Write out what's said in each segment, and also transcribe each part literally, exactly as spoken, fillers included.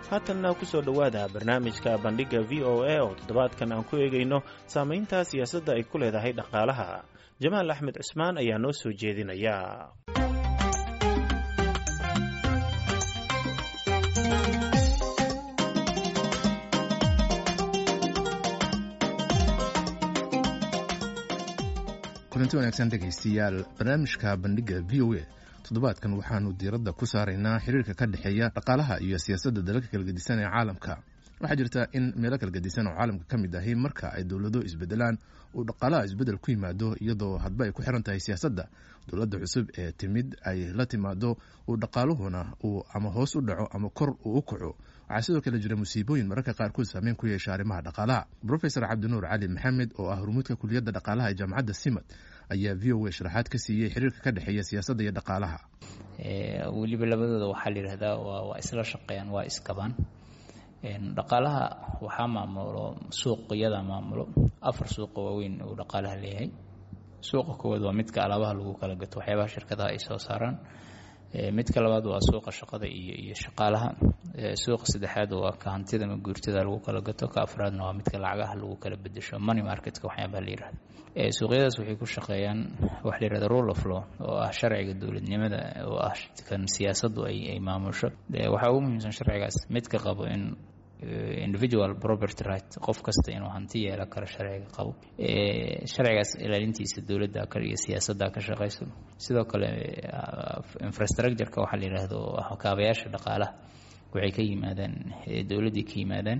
Haatanna kusoo dhowaada barnaamijka Bandhigga V O A oo toddobaadkan aan ku eegayno saamaynta siyaasadda ay ku leedahay dhaqaalaha. Jamaal Axmed Cusmaan ayaa noo soo jeedinaya. Kulanti wanaagsan, dhegaystayaal. Barnaamijka Bandhigga V O A toddobaadkan waxaanu diiradda ku saaraynaa xiriirka ka dhexeeya dhaqaalaha iyo siyaasadda dalalka kala gedisan ee caalamka. Waxaa jirta in meelo kala gedisan oo caalamka ka mid ahi marka ay dowlado isbedelaan uu dhaqaalaha isbedel ku yimaado, iyadoo hadba ay ku xiran tahay siyaasadda dowladda cusub ee timid ay la timaado uu dhaqaaluhuna uu ama hoos u dhaco ama kor uu u kaco. Waxaa sidoo kale jira musiibooyin mararka qaarkood saameyn ku yeesha arrimaha dhaqaalaha. Professor Cabdinuur Cali Maxamed oo ah hormuudka kuliyadda dhaqaalaha ee Jaamacadda Simad ayaa V O A sharaxaad ka siiyey xiriirka ka dhexeeya siyaasadda iyo dhaqaalaha. Weliba labadooda waxaa la yidhahdaa waa waa isla shaqeeyaan, waa iskabaan. Dhaqaalaha waxaa maamulo suuqyada, maamulo afar suuqa waaweyn uu dhaqaalaha leeyahay. Suuqa koowaad waa midka alaabaha lagu kala gato, waxyaabaha shirkadaha ay soo saaraan. Midka labaad waa suuqa shaqada iyo iyo shaqaalaha. Suuqa saddexaad waa ka hantida ama guurtada lagu kala gato. Ka afraadna waa midka lacagaha lagu kala bedesho, money marketka waxyaabaha la yirahdo. Suuqyadaas waxay ku shaqeeyaan waxa la yirahdo rule of law, oo ah sharciga dowladnimada, oo ah kan siyaasaddu ay ay maamusho. Waxaa ugu muhiimsan sharcigaas midka qabo in individual property right, qof kasta inuu hanti yeelan karo sharciga qabo. Sharcigaas ilaalintiisa dowladda iyo siyaasadda ka shaqeyso. Sidoo kale infrastructure-ka waxaa la yidhaahdo oo ah kaabayaasha dhaqaalaha waxay ka yimaadaan dowladdii ka yimaadaan.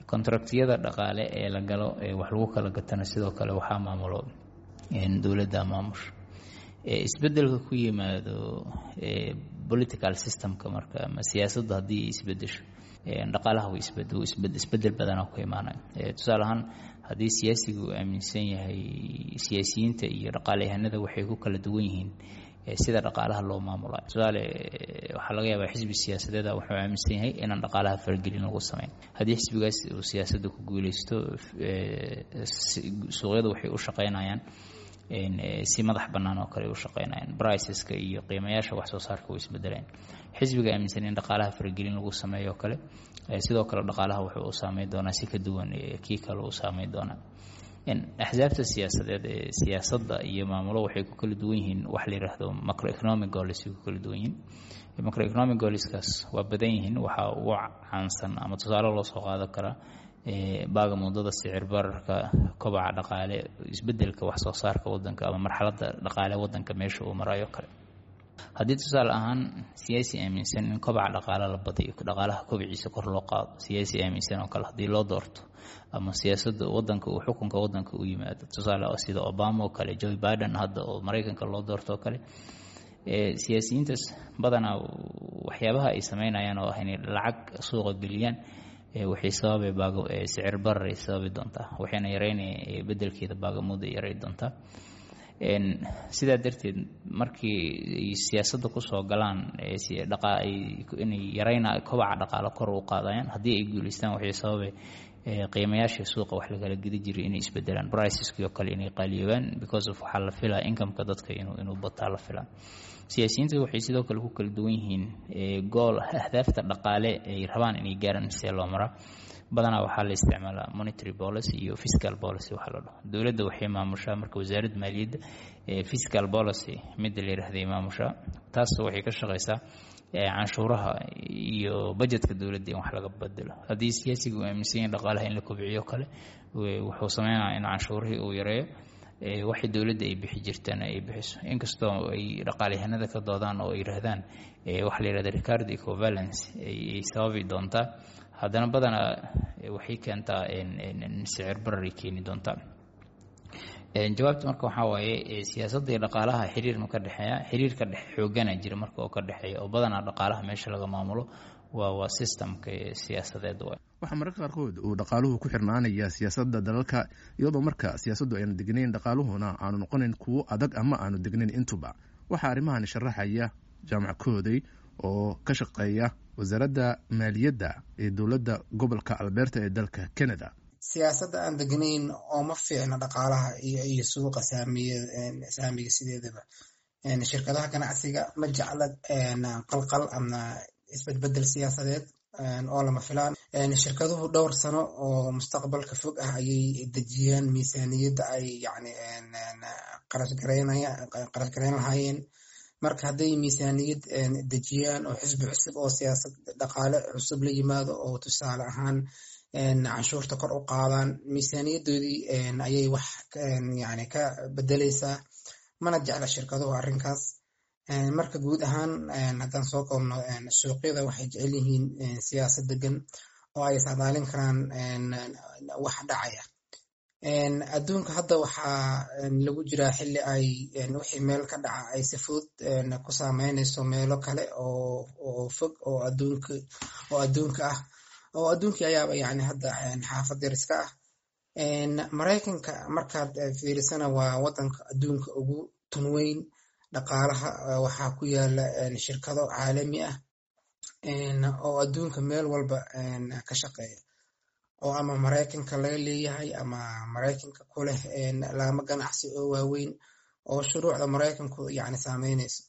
Contractiyada dhaqaale ee la galo ee wax lagu kala gatana sidoo kale waxaa maamulo dowladda maamusho. Isbedelka ku yimaado political systemka marka ama siyaasadda haddii isbedesho, dhaqaalaha isbedel badanaa ku imaanaya. Tusaale ahaan, haddii siyaasigu uu aaminsan yahay, siyaasiyiinta iyo dhaqaalayahanada waxay ku kala duwan yihiin sida dhaqaalaha loo maamulayo. Tusaale, waxaa laga yaabaa xisbi siyaasadeeda wuxuu aaminsan yahay inaan dhaqaalaha faragelin lagu sameyn. Haddii xisbigaas uu siyaasadda ku guuleysto, suuqyadu waxay u shaqeynayaan si madax bannaan oo kale u shaqeynayaan, priceska iyo qiimayaasha wax soo saarka way isbedeleen. Xisbiga aaminsan in dhaqaalaha faragelin lagu sameeyo kale, sidoo kale dhaqaalaha wuxuu u saameyn doonaa si ka duwan kii kale u saameyn doonaa. Axsaabta siyaasadeed ee siyaasadda iyo maamulo waxay ku kala duwan yihiin wax la yidhaahdo macroeconomic goals ay ku kala duwan yihiin. Macroeconomic goalskaas waa badan yihiin. Waxaa ugu caansan ama tusaale loo soo qaadan karaa baaga mudada, sicir bararka, kobaca dhaqaale, isbedelka wax soo saarka wadanka ama marxaladda dhaqaale wadanka meesha uu marayo kale. Haddii tusaale ahaan siyaasi aaminsan in kobaca dhaqaale la badiyo, dhaqaalaha kobiciisa kor loo qaado, siyaasi aaminsan oo kale haddii loo doorto ama siyaasadda wadanka uu xukunka wadanka u yimaado, tusaale sida Obama oo kale, Joe Biden hadda oo Maraykanka loo doorto oo kale, siyaasiyiintaas badanaa waxyaabaha ay sameynayaan oo ah inay lacag suuqa geliyaan waxay sababay baago sicir barar ay sababi doontaa, waxayna yareynaya bedelkeeda baagamuda yaray doontaa. Sidaa darteed markii ay siyaasadda kusoo galaan inay yareyna kobaca dhaqaalo kor u qaadayaan, haddii ay guuleystaan waxay sababay qiimayaasha suuqa wax lakala gedi jiray inay isbedelaan, priceski oo kale inay qaaliyoobaan, because of waxaa la filaa incomeka dadka inuu inuu bataa la filaa. Siyaasiyiinta waxay sidoo kale ku kala duwan yihiin goal, ahdaafta dhaqaale ay rabaan inay gaaraan see loo maraa. Badanaa waxaa la isticmaalaa monetary policy iyo fiscal policy waxaa la dhaho. Dowladda waxay maamushaa marka wasaaradda maaliyadda fiscal policy midda la yidhahday maamushaa. Taas waxay ka shaqeysaa canshuuraha iyo budgetka dowladda in wax laga bedelo. Haddii siyaasiga uu aaminsan yahay dhaqaalaha in la kobciyo kale, wuxuu sameynaya in canshuurihii uu yareeyo, waxay dowladda ay bixi jirtana ay bixiso. Inkastoo ay dhaqaalyahanada ka doodaan oo ay yidhaahdaan waxa la yidhahda Ricardo equivalence ay sababi doontaa, haddana badanaa waxay keentaa sicir barar ay keeni doontaa. Jawaabta marka waxaa waaye, siyaasadda iyo dhaqaalaha xiriir ma ka dhexeeya? Xiriir ka dhex xoogana jira marka oo ka dhexeeya, oo badanaa dhaqaalaha meesha laga maamulo waa waa systemka siyaasadeed waay. Waxaa mararka qaarkood uu dhaqaaluhu ku xirnaanaya siyaasadda dalalka, iyadoo marka siyaasaddu aynu degnayn dhaqaaluhuna aanu noqonayn kuwo adag ama aanu degnayn intuba. Waxaa arrimahan sharaxaya Jaamac Kooday oo ka shaqeeya wasaaradda maaliyadda ee dowladda gobolka Alberta ee dalka Canada. Siyaasadda aan degnayn oo ma fiicna dhaqaalaha iyo iyo suuqa saamiya saamiga sideedaba. Shirkadaha ganacsiga ma jecla qalqal ama isbedbedel siyaasadeed. oo lama filaan. Shirkaduhu dhowr sano oo mustaqbalka fog ah ayay dejiyaan miisaaniyadda ay yani qarash garayn lahaayeen. Marka hadday miisaaniyad dejiyaan oo xisbi cusub oo siyaasad dhaqaale cusub la yimaado oo tusaale ahaan canshuurta kor u qaadaan, miisaaniyaddoodii ayay wax yani ka bedeleysaa. Mana jecla shirkaduhu arrinkaas. Marka guud ahaan haddaan soo koobno, suuqyada waxay jecel yihiin siyaasad degan oo ay saadaalin karaan wax dhacaya. Adduunka hadda waxaa lagu jiraa xilli ay wixii meel ka dhaca ay si fudud ku saameynayso meelo kale oo fog oo adduunka oo adduunka ah, oo adduunkii ayaaba yani hadda xaafad yar iska ah. Maraykanka markaad fiirisana waa wadanka adduunka ugu tunweyn dhaqaalaha. Waxaa ku yaala shirkado caalami ah oo adduunka meel walba ka shaqeeya, oo ama Maraykanka laga leeyahay ama Maraykanka ku leh laamo ganacsi oo waaweyn oo shuruucda Maraykanku yani saameynayso.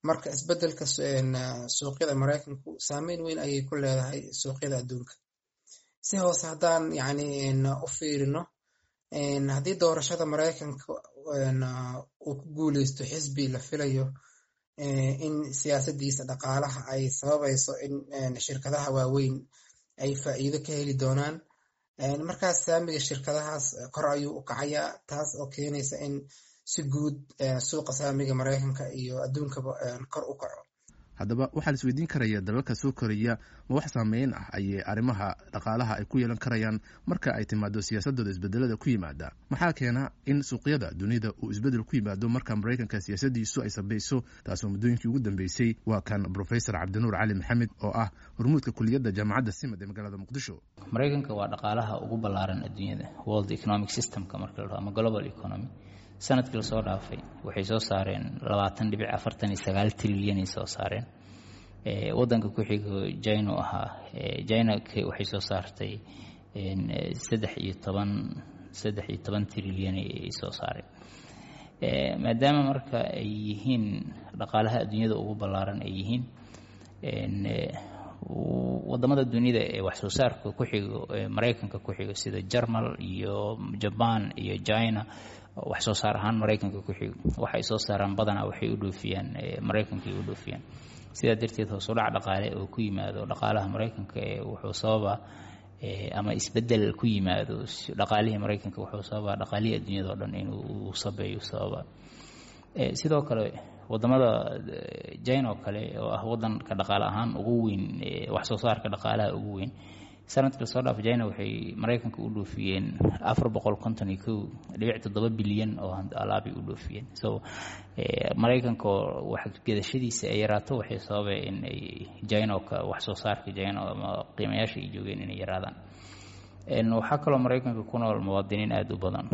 Marka isbedelka suuqyada Maraykanku saameyn weyn ayay ku leedahay suuqyada adduunka. Si hoose haddaan yani u fiirino, haddii doorashada Maraykanka uu ku guuleysto xisbi la filayo in siyaasadiisa dhaqaalaha ay sababayso in shirkadaha waaweyn ay faa'iido ka heli doonaan, markaas saamiga shirkadahaas kor ayuu u kacayaa, taas oo keenaysa in si guud suuqa saamiga Maraykanka iyo adduunkaba kor u kaco. Haddaba waxaa la isweydiin karaya, dalalka soo koraya ma wax saameyn ah ayay arrimaha dhaqaalaha ay ku yeelan karayaan marka ay timaado siyaasadooda isbedelada ku yimaada? Maxaa keena in suuqyada dunida uu isbedel ku yimaado marka Maraykanka siyaasadiisu ay sabayso, taasoo muddooyinkii ugu dambeysay? Waa kan Professor Cabdinuur Cali Maxamed oo ah hormuudka kuliyadda Jaamacadda Simad ee magaalada Muqdisho. Maraykanka waa dhaqaalaha ugu ballaaran adduunyada, world economic systemka marka la dhaho ama global economy. Sanadkii lasoo dhaafay waxay soo saareen labaatan dhibic afartan iyo sagaal trilyan ay soo saareen. Wadanka ku xigo China ahaa. China waxay soo saartay saddex iyo toban saddex iyo toban trilyan ay soo saareen. Maadaama marka ay yihiin dhaqaalaha adduunyada ugu ballaaran ay yihiin, wadamada dunida ee wax soo saarka ku xigo Maraykanka ku xigo, sida Jarmal iyo Jaban iyo China, wax soo saar ahaan Maraykanka ku xigo, waxay soo saaraan badanaa waxay u dhoofiyaan Maraykanka ay u dhoofiyaan. Sidaa darteed hoos u dhac dhaqaale oo ku yimaado dhaqaalaha Maraykanka wuxuu sababaa, ama isbedel ku yimaado dhaqaalihii Maraykanka wuxuu sababaa dhaqaalihii adduunyada oo dhan inuu sabeeyo sababaa. Sidoo kale wadamada China oo kale, oo ah wadanka dhaqaale ahaan ugu weyn, wax soo saarka dhaqaalaha ugu weyn, sanadkii lasoo dhaaf China waxay Maraykanka u dhoofiyeen afar boqol konton iyo kow dhibic toddoba bilyan oo alaabay u dhoofiyeen. So Maraykanka wax gadashadiisa ay yaraato waxay sababay in ay China wax soo saarka China ama qiimayaasha ay joogeen inay yaraadaan. Waxaa kaloo Maraykanka ku nool muwaadiniin aada u badan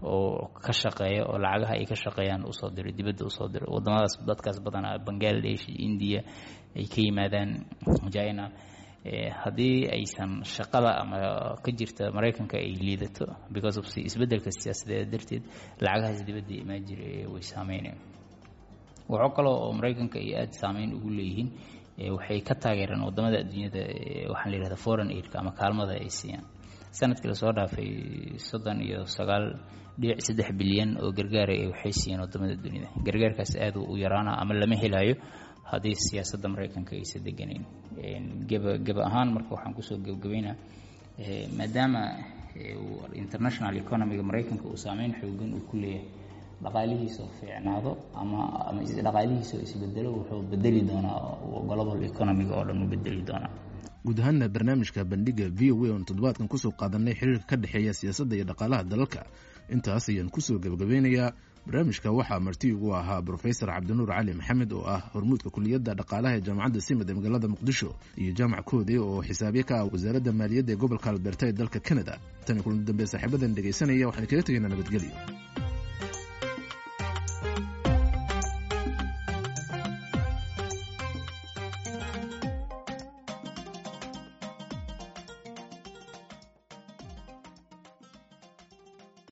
oo ka shaqeeya oo lacagaha ay ka shaqeeyaan usoo diro dibadda, usoo diro wadamadaas. Dadkaas badanaa Bangladesh iyo India ay ka yimaadaan, China. Haddii aysan shaqada ama ka jirta Maraykanka ay liidato because of isbedelka siyaasadeed darteed, lacagahaas dibadda imaan jira way saameynayaan. Waxaa kaloo oo Maraykanka ay aada saameyn ugu leeyihiin, waxay ka taageeraan wadamada adduunyada waxaan la yihahda foreign aidka ama kaalmada ay siiyaan. Sanadkii lasoo dhaafay soddon iyo sagaal dhibic saddex bilyan oo gargaara waxay siiyeen wadamada dunida. Gargaarkaas aada u yaraana ama lama helayo haddii siyaasadda Maraykanka aysa deganayn. Geba geba ahaan marka waxaan kusoo gebgabeynaa, maadaama international economyga Maraykanka uu saameyn xoogan uu ku leeyahay, dhaqaalihiisa oo fiicnaado ama ama dhaqaalihiisa oo isbedelo wuxuu bedeli doonaa global economyga oo dhan u bedeli doonaa. Guud ahaana barnaamijka Bandhiga V O A oon toddobaadkan kusoo qaadanay xiriirka ka dhexeeya siyaasadda iyo dhaqaalaha dalalka intaas ayaan kusoo gebagabeynayaa. Barnaamijka waxaa marti ugu ahaa Brofesor Cabdinuur Cali Maxamed oo ah hormuudka kuliyadda dhaqaalaha ee Jaamacadda Simad ee magaalada Muqdisho, iyo Jaamac Koode oo xisaabye ka ah wasaaradda maaliyadda ee gobolka Alberta ee dalka Canada. Tan iyo kulan dambe, saaxiibadan dhegaysanaya, waxaan kaga tegaynaa nabadgelyo.